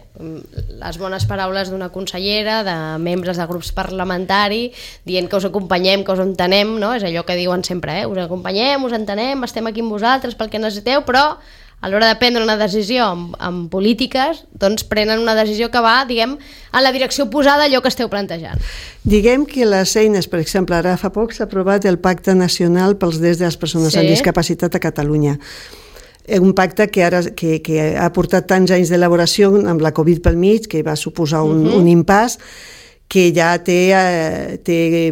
Les bones paraules d'una consellera, de membres de grups parlamentaris, dient que us acompanyem, que us entenem, no? És allò que diuen sempre, eh? Us acompanyem, us entenem, estem aquí amb vosaltres pel que necessiteu, però a l'hora de prendre una decisió amb, amb polítiques, doncs prenen una decisió que va, diguem, en la direcció oposada a allò que esteu plantejant. Diguem que les eines, per exemple, ara fa poc s'ha aprovat el Pacte Nacional pels Drets de les Persones sí. amb Discapacitat a Catalunya. Un pacte que ara que, que ha portat tants anys d'elaboració amb la Covid pel mig, que va suposar un, uh-huh. un impàs, que ja té, té,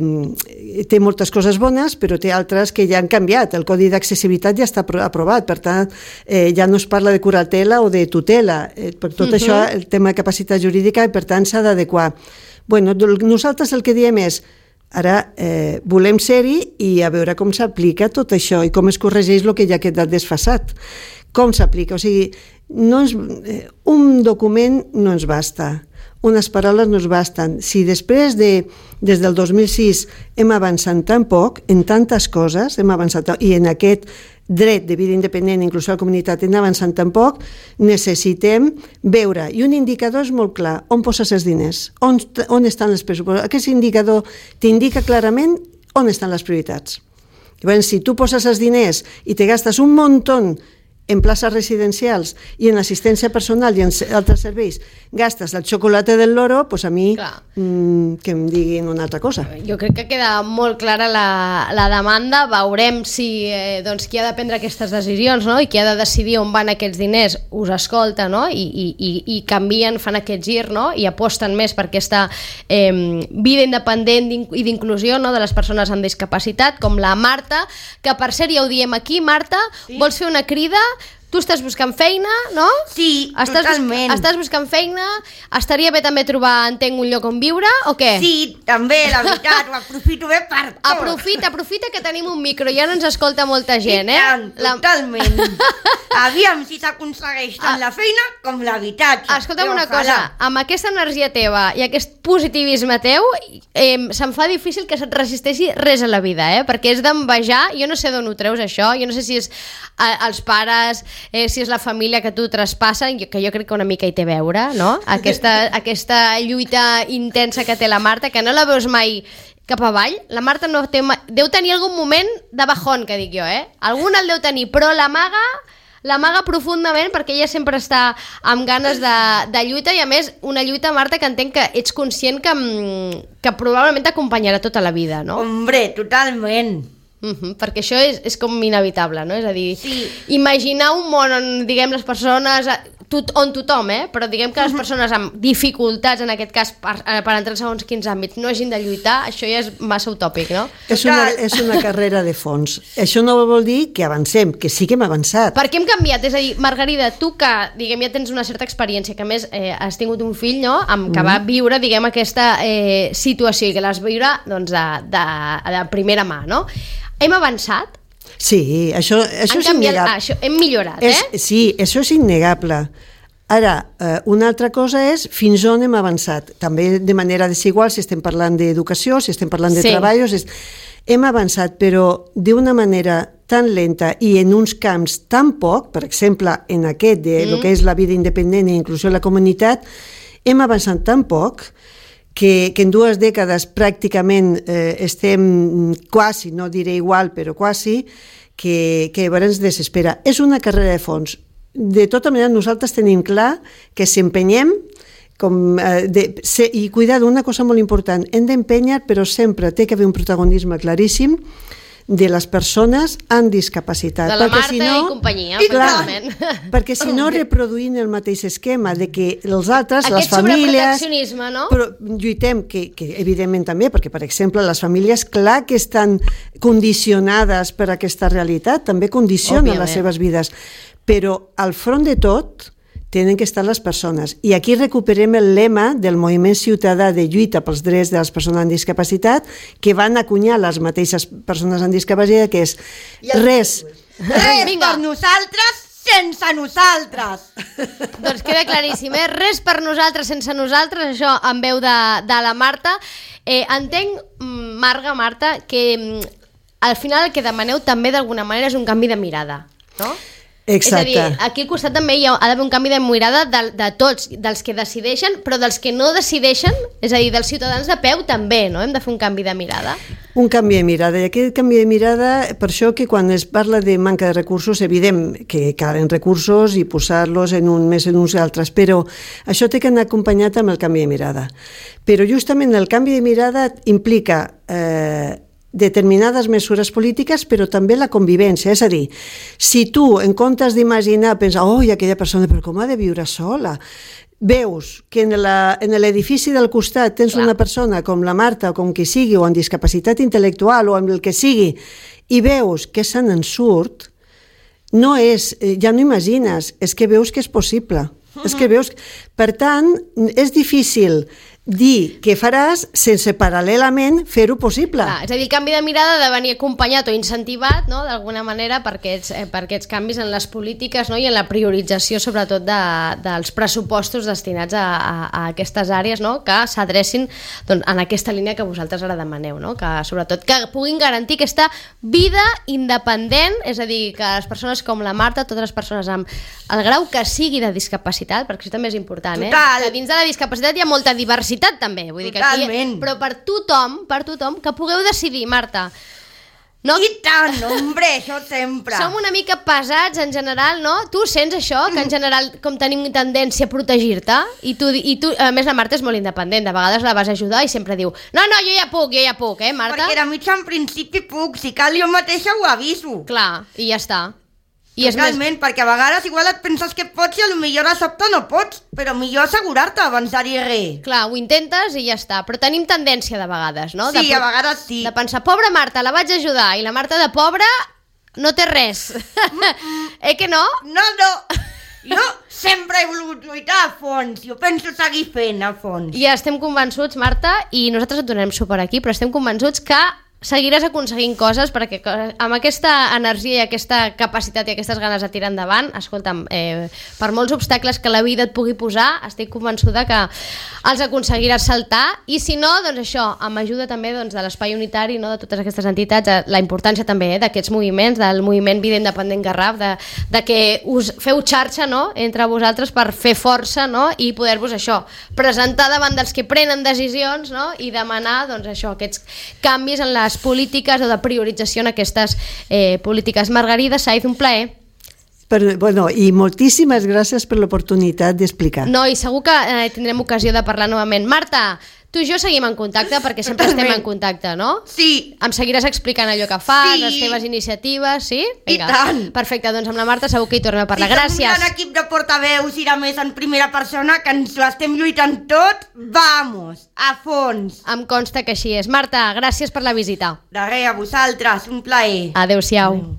té moltes coses bones, però té altres que ja han canviat. El Codi d'Accessibilitat ja està aprovat, per tant, eh, ja no es parla de curatela o de tutela. Eh, per tot uh-huh. això, el tema de capacitat jurídica, i per tant s'ha d'adequar. Bueno, nosaltres el que diem és, ara eh, volem ser-hi i a veure com s'aplica tot això i com es corregeix el que ja ha quedat desfasat. Com s'aplica? O sigui, no ens, eh, un document no ens basta. Unes paraules no es basten. Si després de, des del dos mil sis hem avançat tan poc, en tantes coses, hem avançat, i en aquest dret de vida independent, inclús a la comunitat, hem avançat tan poc, necessitem veure. I un indicador és molt clar, on poses els diners, on, on estan els pressupostos. Aquest indicador t'indica clarament on estan les prioritats. Llavors, si tu poses els diners i te gastes un muntó en places residencials i en assistència personal i en altres serveis, gastes el xocolate del loro, doncs a mi mmm, que em diguin una altra cosa. Jo crec que queda molt clara la, la demanda. Veurem si eh, doncs, qui ha de prendre aquestes decisions, no? I qui ha de decidir on van aquests diners us escolta, no? I, i, i, i canvien, fan aquest gir, no? I aposten més per aquesta eh, vida independent i d'inclusió, no? De les persones amb discapacitat, com la Marta, que per cert ja ho diem aquí, Marta, sí? Vols fer una crida? tu estàs buscant feina, no? Sí, estàs totalment. Bus estàs buscant feina, estaria bé també trobar, entenc, un lloc on viure, o què? Sí, també, la veritat, ho aprofito bé per tot. Aprofita, aprofita que tenim un micro, ja no ens escolta molta gent, eh? I tant, La... totalment. Aviam si s'aconsegueix tant la feina com l'habitatge. Escolta'm una cosa, amb aquesta energia teva i aquest positivisme teu, eh, se'm fa difícil que se't resisteixi res a la vida, eh? Perquè és d'envejar, jo no sé d'on ho treus això, jo no sé si és eh, els pares, eh, si és la família que tu traspassen, que jo crec que una mica hi té a veure, no? Aquesta, aquesta lluita intensa que té la Marta, que no la veus mai cap avall. La Marta no té mai... deu tenir algun moment de bajón, que dic jo, eh? Algun el deu tenir, però l'amaga l'amaga profundament perquè ella sempre està amb ganes de, de lluita i a més una lluita, Marta, que entenc que ets conscient que, que probablement t'acompanyarà tota la vida, no? Hombre, totalment. Uh-huh, perquè això és, és com inevitable, no? És a dir, sí. Imaginar un món on, diguem, les persones... Tot, on tothom, eh? Però diguem que les persones amb dificultats, en aquest cas, per, per entrar en segons quins àmbits, no hagin de lluitar, això ja és massa utòpic, no? És una, és una carrera de fons. Això no vol dir que avancem, que sí que hem avançat. Per què hem canviat? És a dir, Margarida, tu que, diguem, ja tens una certa experiència, que a més eh, has tingut un fill, no?, amb, que mm. va viure, diguem, aquesta eh, situació i que l'has viure, doncs, de, de, de primera mà, no? Hem avançat? Sí, això, això és canviat, innegable. Ah, això, hem millorat, és, eh? Sí, això és innegable. Ara, eh, una altra cosa és fins on hem avançat. També de manera desigual, si estem parlant d'educació, si estem parlant de sí. treballs... És... Hem avançat, però d'una manera tan lenta i en uns camps tan poc, per exemple, en aquest de mm. lo que és la vida independent i inclusió de la comunitat, hem avançat tan poc que, que en dues dècades pràcticament eh, estem quasi, no diré igual, però quasi, que, que llavors ens desespera. És una carrera de fons. De tota manera, nosaltres tenim clar que si empenyem, com, eh, de, se, i cuidar d'una cosa molt important, hem d'empènyer, però sempre té que haver un protagonisme claríssim de les persones amb discapacitat. De la perquè Marta si no, i companyia, i clar, perquè si no Okay. reproduint el mateix esquema de que els altres, Aquest les famílies... sobreproteccionisme, no? Però lluitem, que, que evidentment també, perquè, per exemple, les famílies, clar que estan condicionades per aquesta realitat, també condicionen Òbviament. les seves vides, però al front de tot tenen que estar les persones. I aquí recuperem el lema del moviment ciutadà de lluita pels drets de les persones amb discapacitat, que van acunyar les mateixes persones amb discapacitat, que és res. Res per nosaltres sense nosaltres. Doncs queda claríssim, eh? Res per nosaltres sense nosaltres, això en veu de, de la Marta. Eh, entenc, Marga, Marta, que al final el que demaneu també d'alguna manera és un canvi de mirada, no? Exacte. És a dir, aquí al costat també hi ha, ha d'haver un canvi de mirada de, de tots, dels que decideixen, però dels que no decideixen, és a dir, dels ciutadans de peu també, no? Hem de fer un canvi de mirada. Un canvi de mirada, i aquest canvi de mirada, per això que quan es parla de manca de recursos, evident que calen recursos i posar-los en un més en uns altres, però això té que anar acompanyat amb el canvi de mirada. Però justament el canvi de mirada implica eh, determinades mesures polítiques, però també la convivència. És a dir, si tu, en comptes d'imaginar, pensa, oi, aquella persona, però com ha de viure sola? Veus que en l'edifici del costat tens Clar. una persona com la Marta, o com qui sigui, o amb discapacitat intel·lectual, o amb el que sigui, i veus que se n'en surt, no és, ja no imagines, és que veus que és possible. Uh-huh. És que veus... Per tant, és difícil dir què faràs sense paral·lelament fer-ho possible. Clar, és a dir, el canvi de mirada ha de venir acompanyat o incentivat, no?, d'alguna manera per aquests, eh, per aquests canvis en les polítiques, no?, i en la priorització sobretot de, dels pressupostos destinats a, a, a aquestes àrees, no?, que s'adrecin doncs, en aquesta línia que vosaltres ara demaneu, no?, que sobretot que puguin garantir aquesta vida independent, és a dir, que les persones com la Marta, totes les persones amb el grau que sigui de discapacitat, perquè això també és important, eh? Total. Que dins de la discapacitat hi ha molta diversitat també, vull dir que aquí, però per tothom, per tothom, que pugueu decidir, Marta. No? I tant, hombre, això sempre. Som una mica pesats en general, no? Tu sents això, que en general com tenim tendència a protegir-te, i tu, i tu, a més la Marta és molt independent, de vegades la vas ajudar i sempre diu, no, no, jo ja puc, jo ja puc, eh, Marta? Perquè de mitja en principi puc, si cal jo mateixa ho aviso. Clar, i ja està. I Totalment, més... perquè a vegades igual et penses que pots i a lo millor a sobte no pots, però millor assegurar-te abans de dir res. Clar, ho intentes i ja està, però tenim tendència de vegades, no? Sí, de, a vegades sí. De pensar, pobra Marta, la vaig ajudar, i la Marta de pobra no té res. Eh que no? No, no. Jo sempre he volgut lluitar a fons. Jo penso seguir fent a fons. I estem convençuts, Marta, i nosaltres et donarem suport aquí, però estem convençuts que seguiràs aconseguint coses perquè amb aquesta energia i aquesta capacitat i aquestes ganes de tirar endavant, escolta'm, eh, per molts obstacles que la vida et pugui posar, estic convençuda que els aconseguiràs saltar, i si no, doncs això, amb ajuda també doncs, de l'Espai Unitari, no, de totes aquestes entitats, la importància també eh, d'aquests moviments, del moviment Vida Independent Garraf, de, de que us feu xarxa, no?, entre vosaltres per fer força, no?, i poder-vos això, presentar davant dels que prenen decisions, no?, i demanar doncs, això, aquests canvis en les polítiques o de priorització en aquestes eh, polítiques. Margarida Saiz, un plaer. Per, bueno, i moltíssimes gràcies per l'oportunitat d'explicar. No, i segur que eh, tindrem ocasió de parlar novament. Marta, tu i jo seguim en contacte perquè sempre Totalment. estem en contacte, no? Sí. Em seguiràs explicant allò que fas, Sí. les teves iniciatives, sí? I tant. Perfecte, doncs amb la Marta segur que hi tornem a parlar. I som Gràcies. un gran equip de portaveus i a més en primera persona que ens l'estem lluitant tot. Vamos, a fons. Em consta que així és. Marta, gràcies per la visita. De res, a vosaltres, un plaer. Adéu-siau. Adéu.